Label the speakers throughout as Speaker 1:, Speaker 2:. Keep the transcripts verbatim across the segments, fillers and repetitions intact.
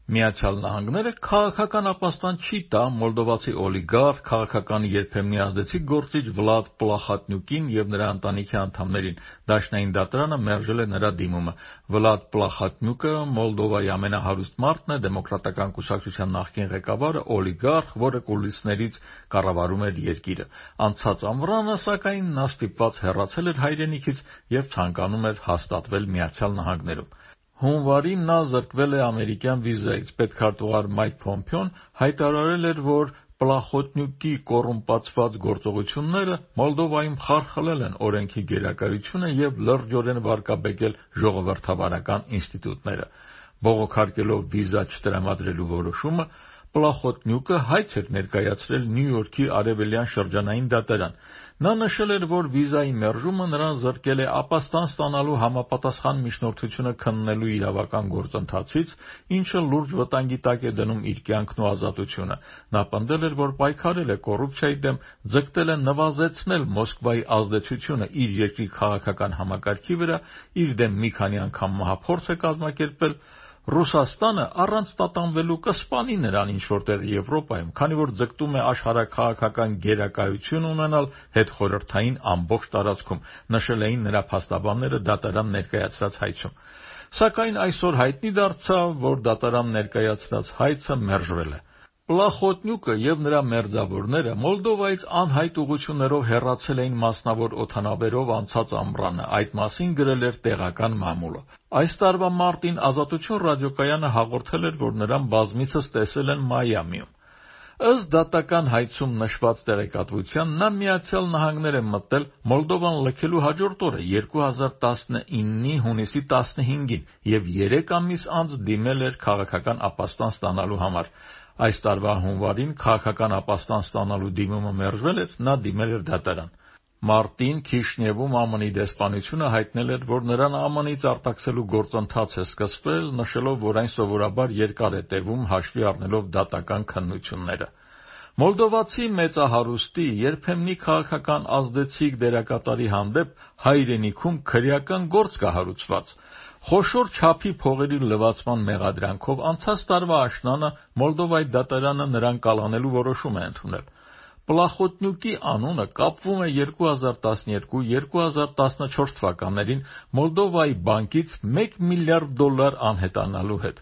Speaker 1: Միացյալ Նահանգները քաղաքական ապաստան չի տա մոլդովացի օլիգարխ, քաղաքական երբեմնի ազդեցիկ գործիչ Վլադ Պլախատնյուկին և նրա ընտանիքի անդամներին։ Դաշնային դատարանը մերժել է նրա դիմումը։ Վլադ Պլախատնյուկը Մոլդովայի ամենահարուստ մարդն է, դեմոկրատական կուսակցության նախկին ղեկավարը, օլիգարխ, որը կուլիսներից կառավարում էր երկիրը։ Անցած ամռանը, սակայն, նա ստիպված հեռացել էր հայրենիքից և ցանկանում էր հաստատվել Միացյալ Նահանգներում։ Հունվարին նա զրկվել է ամերիկյան վիզայից։ Պետքարտուղար Մայք Փոմփեոն հայտարարել էր, որ Պլախոտնյուկի կոռումպացված գործողությունները Մոլդովայում խարխլել են օրենքի գերակայությունը և լրջորեն վարկաբեկել ժողովրդավարական ինստիտուտները։ Բողոքարկելով վիզա չտրամադրելու որոշումը, Պլախոտնյուկը հայց էր ներկայացրել Նյու Յորքի արևելյան շրջանային դատարան։ Նա նշել էր, որ վիզայի մերժումը նրան զրկել է ապաստան ստանալու համապատասխան միջնորդությունը քննելու իրավական գործընթացից, ինչը լուրջ վտանգի տակ է դնում իր կյանքն ու ազատությունը։ Նա պնդել էր, որ պայքարել է կոռուպցիայի դեմ, ձգտել է նվազեցնել Մոսկվայի ազդեցությունը իր երկրի քաղաքական համակարգի վրա, իր դեմ մի քանի անգամ մահափորձ է կազմակերպել։ Ռուսաստանը առանց տատանվելու կսպանի նրան ինչ-որտեղ Եվրոպայում, քանի որ ձգտում է աշխարհաքաղաքական գերակայություն ունենալ հետխորհրդային ամբողջ տարածքում, նշել էին նրա փաստաբանները դատարան ներկայացրած հայցում։ Սակայն այսօր հայտնի դարձավ, որ դատարան ներկայացրած հայցը մերժվել է։ Պլախոտնյուկը և նրա մերձավորները Մոլդովայից անհայտ ուղղություններով հեռացել էին մասնավոր օդանավերով անցած ամռանը, այդ մասին գրել էր տեղական մամուլը։ Այս տարվա մարտին Ազատություն ռադիոկայանը հաղորդել էր, որ նրան բազմիցս տեսել են Մայամիում։ Ըստ դատական հայցում նշված տեղեկատվության, նա Միացյալ Նահանգներ է մտել Մոլդովան լքելու հաջորդ օրը երկու հազար տասնինի հունիսի տասնհինգին և երեք ամիս անց դիմել էր քաղաքական ապաստան ստանալու համար։ Այս տարվա հունվարին քաղաքական ապաստան ստանալու դիմումը մերժվել էր, նա դիմել էր դատարան։ Մարտին Քիշնևում ԱՄՆ-ի դեսպանությունը հայտնել էր, որ նրան ԱՄՆ-ից արտաքսելու գործընթաց է սկսվել, նշելով, որ այն սովորաբար երկար է տևում, հաշվի առնելով դատական քննությունները։ Մոլդովացի մեծահարուստի, երբեմնի քաղաքական ազդեցիկ դերակատարի հանդեպ հայրենիքում քրեական գործ կա հարուցված։ Խոշոր չափի փողերի լվացման մեղադրանքով անցած տարվա աշնանը Մոլդովայի դատարանը նրան կալանելու որոշում է ընդունել։ Պլախոտնյուկի անունը կապվում է երկու հազար տասնյոթ - երկու հազար տասնչորս թվականներին Մոլդովայի բանկից մեկ միլիարդ դոլար անհետանալու հետ։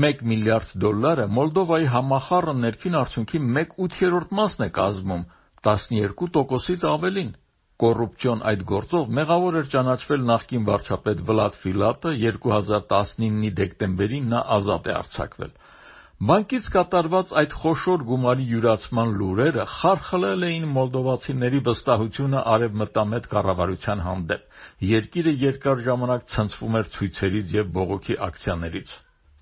Speaker 1: Մեկ միլիարդ դոլարը Մոլդովայի համախառն ներքին արդյունքի մեկ ութերորդ մասն է կազմում, տասնյոթ տոկոսից ավելին։ Կոռուպցիոն այդ գործով մեղավոր էր ճանաչվել նախկին վարչապետ Վլադ Ֆիլատը, երկու հազար տասնինի դեկտեմբերին նա ազատ է արձակվել։ Բանկից կատարված այդ խոշոր գումարի յուրացման լուրերը խարխլել էին մոլդովացիների վստահությունը արևմտամետ կառավարության հանդեպ։ Երկիրը երկար ժամանակ ցնցվում էր ցույցերից և բողոքի ակցիաներից։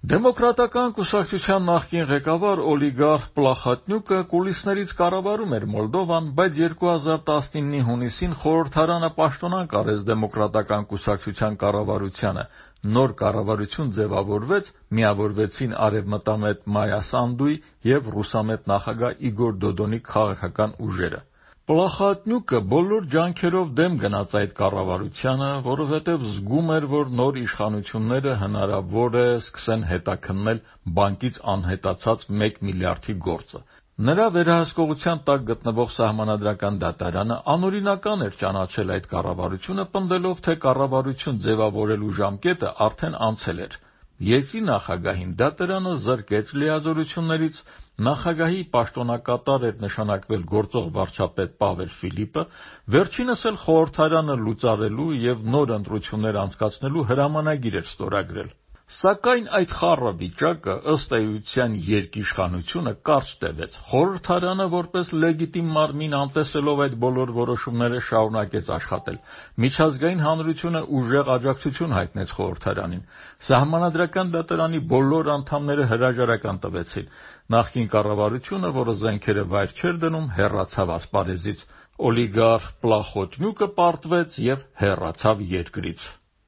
Speaker 1: Դեմոկրատական կուսակցության նախկին ղեկավար օլիգարխ Պլախատնյուկը կուլիսներից կառավարում էր Մոլդովան, բայց երկու հազար տասնինի հունիսին խորհրդարանը պաշտոնանկ արեց դեմոկրատական կուսակցության կառավարությանը։ Նոր կառավարություն ձևավորվեց, միավորվեցին արևմտամետ Մայա Սանդուի և ռուսամետ նախագահ Իգոր Դոդոնի քաղաքական ուժերը։ Պլախատնյուկը բոլոր ջանքերով դեմ գնաց այդ կառավարությանը, որովհետև զգում էր, որ նոր իշխանությունները հնարավոր է սկսեն հետաքննել բանկից անհետացած մեկ միլիարդի գործը։ Նրա վերահսկողության տակ գտնվող Սահմանադրական դատարանը անօրինական էր ճանաչել այդ կառավարությունը, պնդելով, թե կառավարություն ձևավորելու ժամկետը արդեն անցել էր։ Երկրի նախագահին դատարանը զրկեց լիազորություններից, նախագահի պաշտոնակատար էր նշանակվել գործող վարչապետ Պավել Ֆիլիպը, վերջինս էլ խորհրդարանը լուծարելու և նոր ընտրություններ անցկացնելու հրամանագիր էր ստորագրել։ Սակայն այդ խառը վիճակը, ըստ էության, երկիշխանությունը կարճ տևեց։ Խորհրդարանը, որպես լեգիտիմ մարմին, անտեսելով այդ բոլոր որոշումները, շարունակեց աշխատել։ Միջազգային հանրությունը ուժեղ աջակցություն հայտնեց խորհրդարանին։ Սահմանադրական դատարանի բոլոր անդամները հրաժարական տվեցին։ Նախկին կառավարությունը, որը զենքերը վայր չէր դնում, հեռացավ ասպարեզից։ Օլիգարխ Պլախոտնյուկը պարտվեց և հեռացավ երկրից։